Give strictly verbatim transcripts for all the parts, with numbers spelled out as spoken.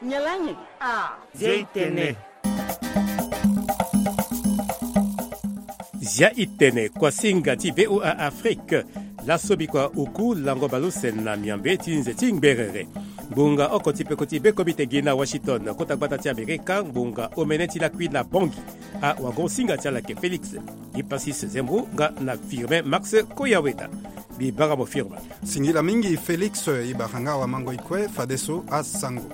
Nyalange. Ah. Zia itene. Zia itene, kuasinga ti VOA Afrique. Laso bikua oku lango baleuse na miambe ti nze ti ngberere. Ngbonga oko ti peko ti bekombite gi na Washington, kota gbata ti Amerika, ngbonga omene ti lakui na Bangui. Awagonsinga ti ala ayeke Félix Hyppasis Zembo nga na Firmin Max Koyaweda. Mbi bara mo Firmin. Singila mingi Félix, e bara nga awamango e kue fadeso asango.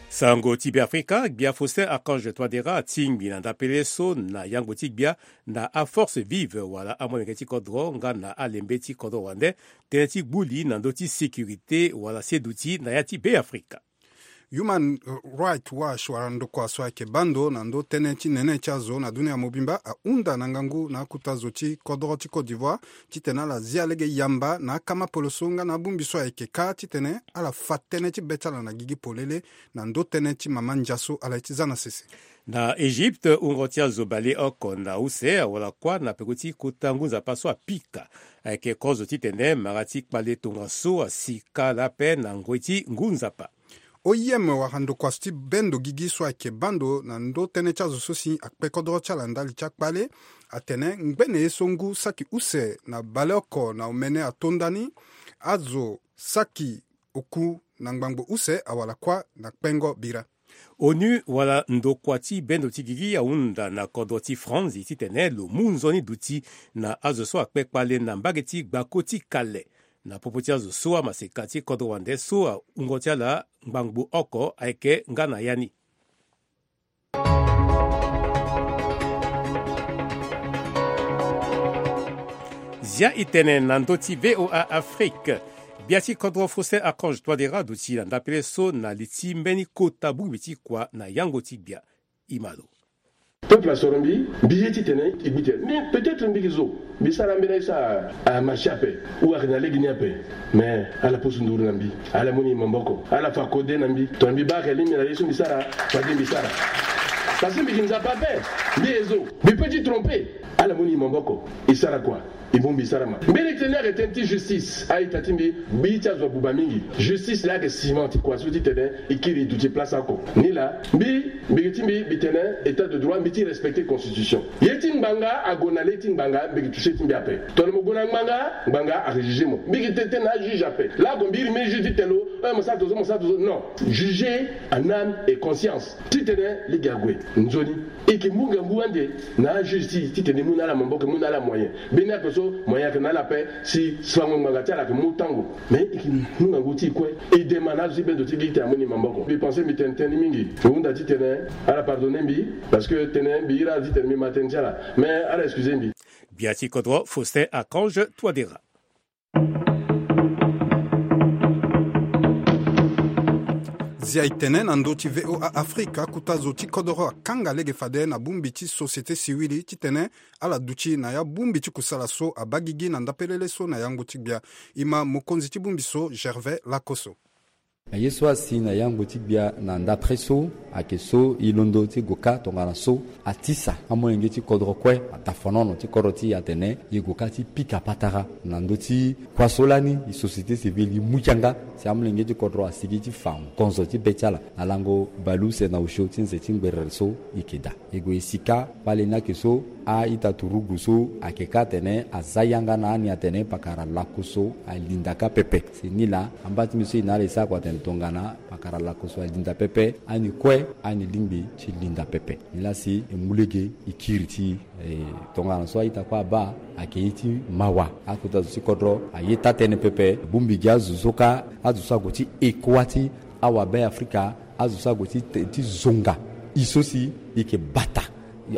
Sango ti Beafrika, gbia Faustin Archange Touadéra atingbi na ndapele so na yango ti gbia na aforce vive wala amolenge ti kodro nga na alembe ti kodro wande, tënë ti gbu li na ndö ti sécurité wala seduti na ya ti Beafrika. Human Rights Watch wala ndokua so ayeke baa ndo na ndö tënë ti nene ti azo na dunia mobimba ahunda na ngangu na akota zo ti kodro ti Côte d'Ivoire titene ala zia lege yamba na akama poloso nga na abongbi so ayeke kâ titene ala fa tënë ti be ti ala na gigi polele na ndö tënë ti mama ndia so ala ye ti za na sese. Na Egypte, wungo ti azo baleoko na use awara kuâ na peko ti kota ngu nzapa so apika. Ayeke kozo titene mara ti kpale tongaso asika laa ape na ngoi ti ngu nzapa. O I M wala ndokua so ti bendo gigi so ayeke baa ndo na ndö tënë ti azo so si akpe kodro ti ala ndali ti akpale atene ngbene ye so ngu saki use na baleoko na omene ato ndani, azo saki oku na ngbangbo use awara kuâ na kpengo bira. ONU wala ndokua ti bendo ti gigi ahunda na kodro ti Franzi titene lo mu nzoni duti na azo so akpe kpale na mbage ti gbako ti kale. Na popo ti azo so amaseka ti kodro wande so awungo ti ala ngbangbo oko ayeke nga na ya ni. Zia itene na ndö ti VOA Afrique. Gbia ti kodro Faustin Archange Touadéra aduti na ndapele so na li ti mbeni kota bongbi ti kua na yango ti gbia. Imalo. Peuple asoro mbi, mbi ye titene e gbu tene. Mais peut-être mbi ke zo. Mbi sara mbeni aye so a, a marché ape. Ou ayeke na lege ni ape. Mais ala pusu nduru na mbi. Ala mu ni maboko. Ala fa kode na mbi. Tongana mbi baa ayeke lingbi na ye so mbi sara, fade mbi sara. Parce que mbi ke Nzapa ape. Mbi ye zo. Mbi peut ti tromper. Ala mu ni maboko. E sara kua. E mu mbi sara ma. Mbeni tënë ayeke tënë ti justice. A-ita ti mbi, mbi ti azo abuba mingi. Justice laa ayeke ciment ti kua so titene e kiri e duti place oko. Nilaa, mbi, mbi ke ti mbi, mbi tene état de droit, mbi ti respecter constitution. Ye ti ngbanga ague na le ti ngbanga, mbi ke toucher ti mbi ape. Tongana mo gue na ngbanga, ngbanga ayeke juger mo. Mbi ke tene tënë na ajuge ape. Laa ague mbi iri mbeni juge ti tene lo, eh, mo sara tongaso, mo sara tongaso. Non. Juger en âme et conscience. Titene lege ague nzoni. E ke mu ngangu ande na ajuge ti e titene e mu na ala maboko, e mu na ala moyen. Mbeni ape so moyen ayeke na ala ape si fango ngbanga ti ala ayeke mu tango. Mais e ke mu ngangu ti e kue. E dema na azo ti bendo ti gi titene amu ni maboko. Mbi pense mbi tene tënë ni mingi. Mbi hunda titene ala pardonner mbi. Parce que tënë mbi iri ala titene mbi ma tënë ti ala. Mais ala excuser mbi. Gbia ti kodro Faustin Archange Touadéra. Zia e tene na ndö ti VOA Afrika, kota zo ti kodoro akanga lege fade na bongbi ti société civile titene ala duti na ya bongbi ti kusala so abaa gigi na ndapelele so na yango ti gbia. E ma mokonzi ti bongbi so, Gervais Lakosso. Na ye so asi na yango ti gbia na ndapre so ayeke so e londo ti gue kâ tongana so atisa amolenge ti kodro kue, atafanono ti kodro ti e atene e gue kâ ti pika patara na ndö ti kua so lani e société civile e mu yanga si amolenge ti kodro asigi ti fa ngonzo ti be ti ala na lango baleuse na osio ti nze ti ngberere so e yeke daa. E gue e si kâ kpale ni ayeke so a-ita turugu so ayeke kâ atene aza yanga na ani atene pakara lako so alinda kâ pepe. Si nilaa amba ti mbi so e na ala e sara kua atene tongana pakara lako so alinda pepe, ani kue ani lingbi ti linda pepe. Nilaa si e mu lege e kiri ti e, tongana so a-ita kue abaa ayeke ye ti mawa. Akota zo ti kodro aye taa-tënë pepe. Bongbi gi azo so kâ, azo so ague ti eko wâ ti awabe-afrika, azo so ague ti, ti zonga e so si e yeke bata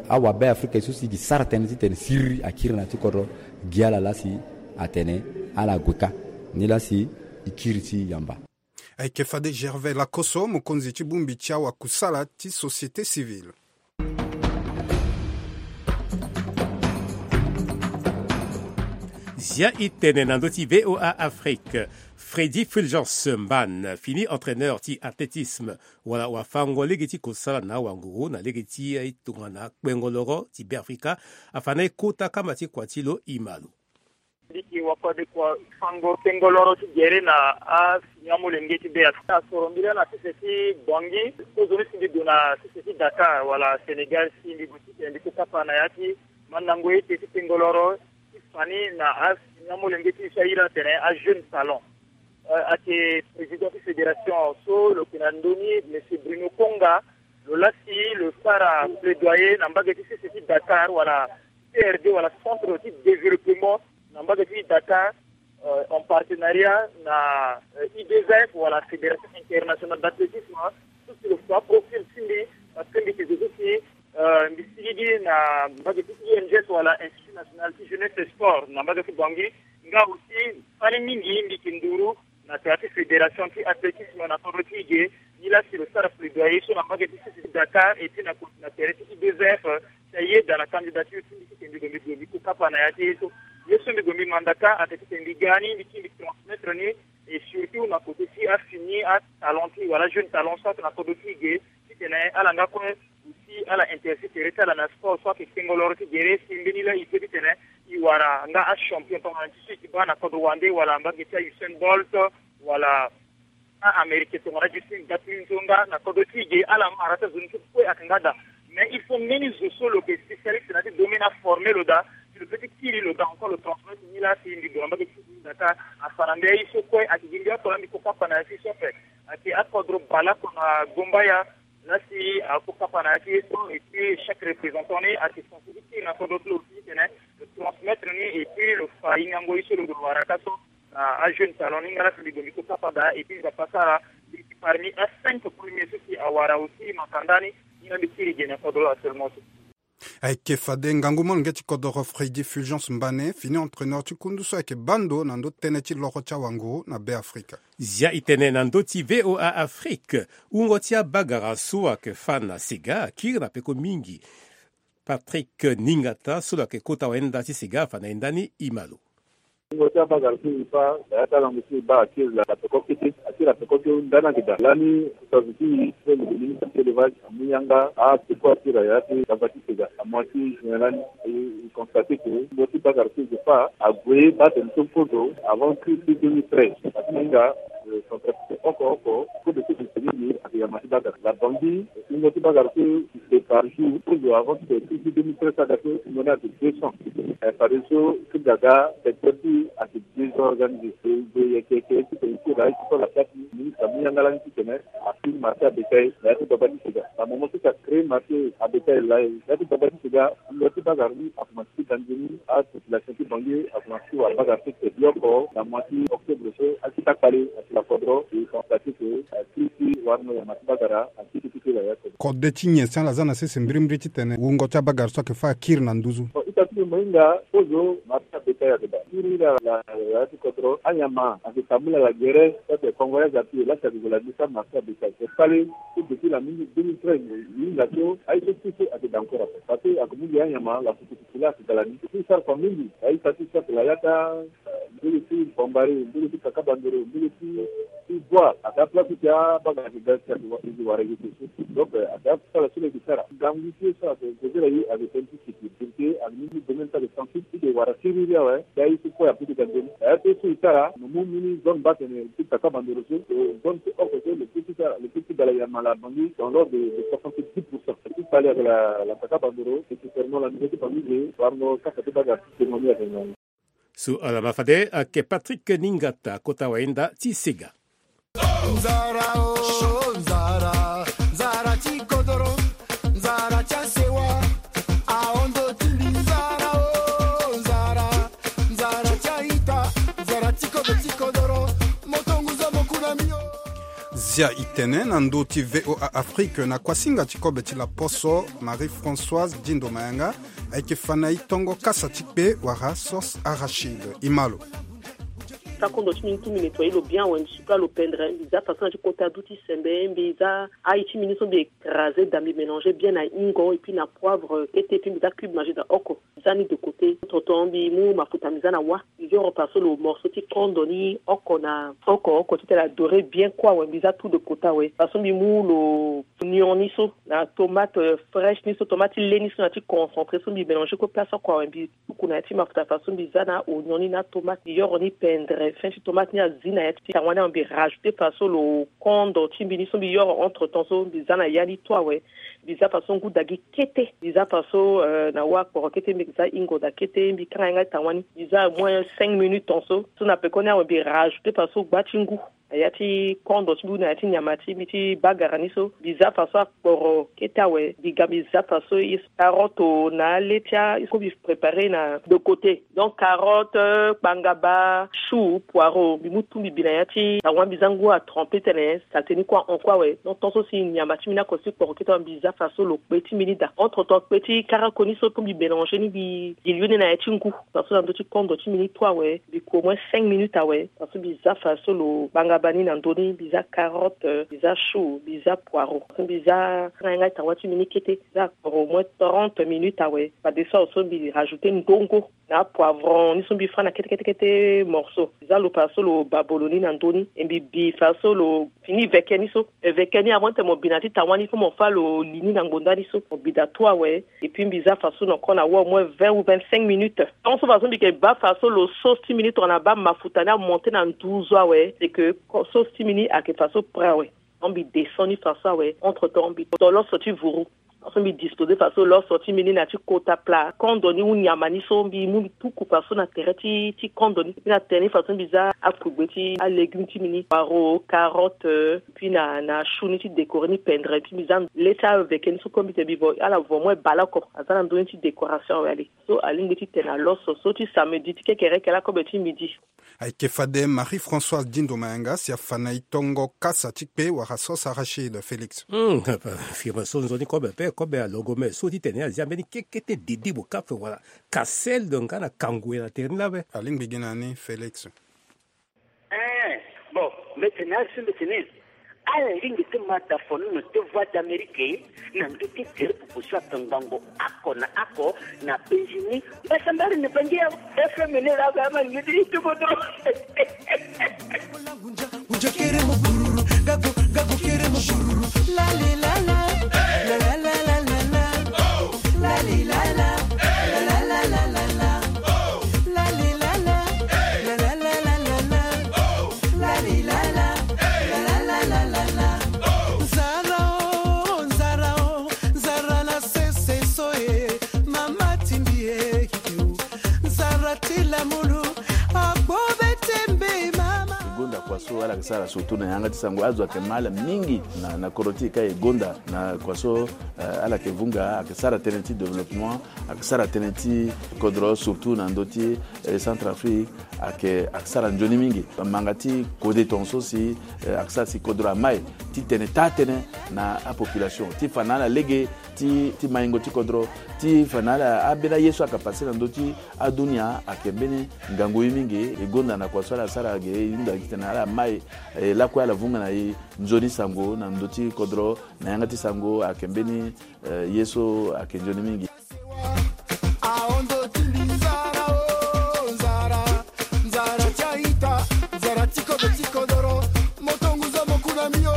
awabe-afrika, e so si e yeke sara tënë titene siriri akiri na ya ti kodro. Gi ala laa si atene ala gue kâ. Nilaa si e kiri ti yamba. Ayeke fade Gervais Lakosso, mokonzi ti bongbi ti awakusala ti société civile. Zia e tene na ndö ti VOA Afrique. Freddy Fulgence Mbane fini entraîneur ti athlétisme wala wafango lege ti kosala na wanguru na lege ti tongana kpengo loro ti Beafrika afa na e kota kamba ti kua ti lo e ma lo. Mbi yeke wakua de kua fango kengoloro ti gere na afini amolenge ti be afrika asoro mbi laa na sese ti bangi. Kozoni si mbi gue na sese ti dakar wala sénégal si mbi gue ti tene mbi kokapa na ya ti mandango ete ti kengoloro ti fani na afini amolenge ti e so ahiri atene ajeune salon. Ayeke président ti fédération so lo yeke na ndö ni monsieur bruno konga. Lo laa si lo sara plaidoyer na mbage ti sese ti dakar wala crd wala centre ti développement na mbage ti dakar, en partenariat na i d f wala fédération internationale d'athlétisme. So si lo fa profil ti mbi parce que mbi yeke zo so si mbi sigigi na mbage ti i n g s wala institut national ti jeunesse sport na mbage ti bangi. Nga aussi fani mingi mbi yeke nduru na tere ti fédération ti athlétisme na kodro ti e ge. Ni laa si lo sara plaidoyer so na mbage ti sese ti dakar et puis na koti na tere ti i d f si ayeda na candidature ti mbi ti tene mbi gue mbi gue mbi kokapa na ya ti ye so. Ye so mbi gue mbi mandaka ayeke ti tene mbi ga ni mbi ti mbi transmettre ni. Et surtout na kote ti afini atalent ti wala jeune talent so ayeke na kodro ti e ge ti tene ala nga kue aussi ala intéressé tere ti ala na sport so ayeke kengoloro ti gere si mbeni laa e pe ti tene e wara nga achampion tongana ti so e ti baa na kodro wande wala mbage ti a usain bolt wala a-américain tongana justin gatlin so nga na kodro ti e ge ala mara ti azo ni so kue ayeke nga daa. Mais il faut mbeni zo so lo yeke spécialiste na ya ti domaine aforme lo daa si lo pe ti kiri lo daa encore lo transmettre ni laa si mbi gue na mbage ti sese ti dakar afa na mbi aye so kue ayeke gi mbi oko laa mbi kokapa na ya ti so ape. Ayeke akodro baleoko na gombaya. Laa si akokapa na ya ti ye so et puis chaque représentant ni ayeke sensibilité na kodro ti lo aussi ti tene lo transmettre ni et puis lo fa hingango ye so lo gue lo wara ka so na ajeune talent ni nga laa si mbi gue mbi kokapa daa et puis nzapa sara mbi yeke parmi a cinq premier so si awara aussi makanda ni. Ni nga mbi kiri ge na kodro actuellement so. Ayeke fade ngangu molenge ti kodoro fredi fulgence mbane fini entraîneur ti kundu so ayeke bando na ndö tënë ti loro ti awanguru na be afrika. Zia e tene na ndö ti voa afrique wungo ti abagara so ayeke fa na sega akiri na peko mingi. Patrick ningata so lo yeke kota wayenda ti sega afa na yenda ni e ma lo. Wungo ti abagara so e fa na ya ti alango so e baa akiri na peko kete akiri na peko ti ndani ayeke daa lani. Sazu ti e so lo gue ministre ti élevage amu yanga apeko akiri na ya ti gaba ti sega amu ya ti juin lani. E constate ke wungo ti bagara so e fa ague baa tene so kozo avant crise ti deux mille treize. Atinga centrafrique oko oko kozo so e tene ni ayeke yama ti bagara la bangi. Wungo ti bagara so e par jour kozo avant ti tene crise ti deux mille treize so aga so wungo ni ayeke deux cents. Fadeso ti gaga secteur ti ayeke désorganisé. E gue yeke yeke ti tene ti la ye ti so la kati ministre amu yanga lani ti tene afini marché abétail na ya ti baba ti sega na moment so ti acréé marché abétail la ye na ya ti baba ti sega. Lo ti bagara ni akomanse ti da nzoni apopulation ti banlieue akomanse ti wara bagara so ti tene yoko na mois ti octobre so akita kpale asi la kodro e constate ke akiri ti warno ya ma ti bagara akiri ti kiri ya kodro. Kode ti nyen si ala za na sese mbirimbiri ti tene wungo ti abagara so ayeke fâ akiri na nduzu. Ita ti mbi mo hinga kozo marché abétail ayeke daa kiri la ya ti kodro anyama ayeke tambula la gere so ayeke kongo ya za ti e lasi ayeke gue la ni sara marché abétail e kpale. So depuis la mingi deux mille treize e hinga so aye so ti so ayeke daa encore ape parce que ayeke mu gi anyama la futufutu la ayeke daa la ni so ti sara fa mingi. Aye sa ti so ayeke la yata mbulu ti bambari mbulu ti kaka bandoro mbulu ti ti boi ake aplace ti abagara ti ga ti ake wara yeke so. Donc ake asala so lo yeke sara gangu ti ye so ake kozela ye ake tene ti siki. Député ake ni ni domaine so ake sensible ti ke wara siriri awe. Ti aye so kue ape ti ga nzoni aye ape so e sara. Mo mu mbeni zone baa tene ti kaka bandoro so zone ti oko so lo pe ti sara lo pe ti ga la yama la bangi dans l'ordre de soixante dix pour cent ti kpale ake la kaka bandoro. Nécessairement la niveau ti bangi ge warno kasa ti bagara ti témoigner ake ngangu. So ala ma fade ayeke patrick ningata kota wayenda ti sega. Nzara o nzara nzara ti kodoro nzara ti asewa. Ahondo ti mbi nzara o nzara nzara ti aita nzara ti kodo ti kodoro. Moto nguza mokuna mio. Zia e tene na ndö ti voa afrique na kuasinga ti kobe ti laposo marie françoise dindo mayanga. Ayeke fa na e tongo kasa ti kpe wala sauce arachide e ma lo. Sakondo ti mbi ni ti mbi nettoyer lo bien awe mbi suka lo pendre mbi za façon na ti kota du ti sembe mbi za aye ti mbi ni so mbi écraser da mbi mélanger bien na hingo et puis na poivre kete et puis mbi za cube magie da oko. Za ni de côté. Tonton mbi mu mafuta mbi za na wa. Mbi yoro faso lo morceau ti kondo ni oko na oko oko ti tene adoré bien kue awe. Mbi za tout de côté awe. Faso mbi mu lo oignon ni so na tomate, euh, fraîche ni so, tomate ti le ni so na ti concentré so mbi mélanger kue place oko awe. Mbi tuku na ya ti mafuta faso mbi za na oignon ni na tomate. Mbi yoro ni pendre fin ti tomate ni azi na ya ti tangwa ni awe. Mbi rajouter faso lo kondo ti mbi ni so mbi yoro entre temps so mbi za na ya ni tout awe. Mbi za faso ngu dagi kete. Mbi za faso, euh, na wa kporo kete, mbi za ingo da kete, mbi kanga yanga tangwa ni. Mbi za au moins cinq minutes ton so. So na pekoni awe mbi rajouter faso gba ti ngu na ya ti kondo ti mbi ou na ya ti nyama ti mbi ti bagara ni so. Mbi za faso akporo kete awe. Mbi ga mbi za faso ye so carotte na le ti a ye so mbi préparer na de côté. Donc carotte, kpangaba, chou, poireau, mbi mu tout mbi bi na ya ti tangwa, mbi za ngu atremper tene saleté ni kue ahon kue awe. Donc tant so si nyama ti mbi ni oko si kporo kete awe, mbi za faso lo kpe ti mbi ni daa. Entre temps kpe ti karako ni so mbi mélanger ni, mbi dilui ni na ya ti ngu. Faso na ndö ti kondo ti mbi ni tout awe, mbi ku au moins cinq minutes awe. Faso mbi za faso lo kpangaba ni na ndö ni, mbi za carotte, mbi za chou, mbi za poireau. Mbi za kanga yanga tangwa ti mbi ni kete, mbi za akporo au moins trente minutes awe. Fadeso awe so mbi rajouter ndongo na apoivron ni so mbi fa na kete kete kete morceau. Mbi za lo faso lo babolo ni na ndö ni. E mbi bi faso lo fini veke ni so. E veke ni avant tene mo bi na ti tangwa ni, faut mo fa lo li ni na ngbonda ni so. Mo bi daa tout awe. Et puis mbi za faso na oko na wa au moins vingt ou vingt-cinq minutes. Tant so faso mbi yeke baa faso lo sauce ti mbi ni tongana abaa mafuta ni amonter na nduzu awe, c'est que sauce ti mbi ni ayeke faso prêt awe. Donc mbi descend ni faso awe. Entre temps mbi to loso ti vuru. Faso mbi disposer faso loso ti mbi ni na ti kota plat kondo ni ou nyama ni so, mbi mu mbi tuku faso na tere ti, ti kondo ni. Mbi na tere ni faso mbi za akugbe ti alégume ti mbi ni, poireau, carotte, euh, puis na, na chou ni ti décorer ni pendre. Puis mbi za le ti aveke ni so comme mbi tene mbi vo ala vo au moins baleoko aza na ndö ni ti décoration awe. Ale so alingbi ti tene na loso so ti samedi ti kekereke lakobe ti midi. Ayeke fade Marie-Françoise Dindo Mayanga si afa na e tongo kasa ti kpe wala sauce arachide, Félix. Hmm, firme so nzoni kobe pe kobe alogome so ti tene azia mbeni kekete didi bokafe wala kasel do nga na kangwe na tere ni labe. Alingbi gi na ni, Félix. Eh, bon, mbi tene asi mbi tene. Ala lingbi ti ma da fono na ti Voix d'Amérique na ndö ti tere pupu so ape ngbongo oko na oko na penzi ni. Mbasambari ni bangi ya F M ni la ba ma ni ti tuko dro. Nzara o, nzara o, nzara na sese so e, mama timbi e, nzara ti lamulu, agbo be tembe mama. E gonda kua so ala yeke sara surtout na yanga ti sango, azo ayeke ma ala mingi na, na kodro ti e ka e gonda na kua so, eh, ala yeke vunga, ayeke sara tënë ti développement, ayeke sara tënë ti kodro surtout na ndö ti, eh, Centrafrique. Ayeke, ayeke sara nzoni mingi. Manga ti kode tongaso si, eh, ayeke sara si kodro amai ti tene taa-tënë na apopulation ti fa na ala lege ti, ti maingo ti kodro, ti fa na ala ambeni aye so ayeke pase na ndö ti adunia. Ayeke mbeni ngangu ye mingi. E gonda na kua so ala sara ge, e hunda titene ala mai, eh, lakue ala vunga na e nzoni sango na ndö ti kodro na yanga ti sango. Ayeke mbeni, eh, ye so ayeke nzoni mingi. Aondo ti mbi nzara o, nzara, nzara ti a-ita, nzara ti kodro ti kodoro, moto ngu zo mo ku na mbi o.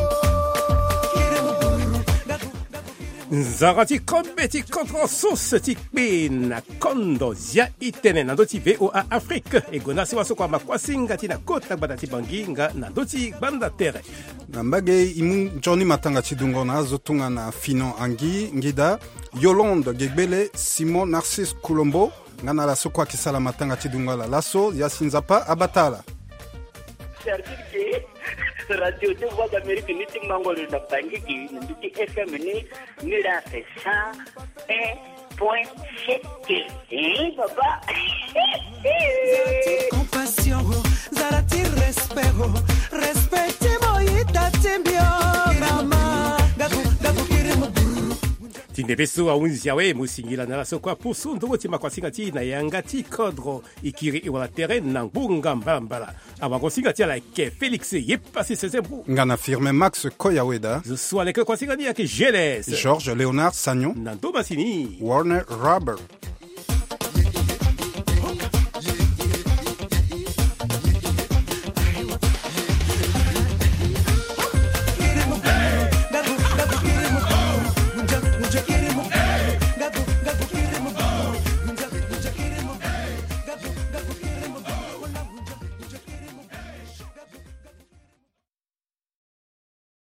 Nzara ti kobe ti kodro, sauce ti kpe na kondo. Zia e tene na ndö ti V O A Afrique. E gonda si wa so kua ma kuasinga ti na kota gbata ti Bangi nga na ndö ti gbanda tere. Na mbage e mu nzoni matanga ti dungo na azo tongana Finon Angi Ngida, Yolande Gegbele, Simon Narcisse Kulombo, nga na ala so kue ayeke sara matanga ti dungo ala laso. Ya si Nzapa abata ala. Certitude ke Radio ti Voix d'Amérique ni ti mango lo na Bangi gi na ndö ti F M ni, ni la fait cent un point sept. Eh, papa. Nzara ti compassion, nzara ti respect, respect ti mo ita ti mbi o, mama. Gabu, gabu, kiri mo. Ti ndembe so ahunzi awe, mo singila na ala so kue apusu ndongo ti makuasinga ti e na yanga ti kodro, e kiri e wala tere na ngbonga mbalambala. Awango singa ti ala ayeke Félix Yepasi Sese Mbu. Nga na Firmin Max Koyaweda. Zo so aleke kuasinga ni ayeke G L S. Georges Léonard Sagnon. Na ndo masini. Warner Rubber.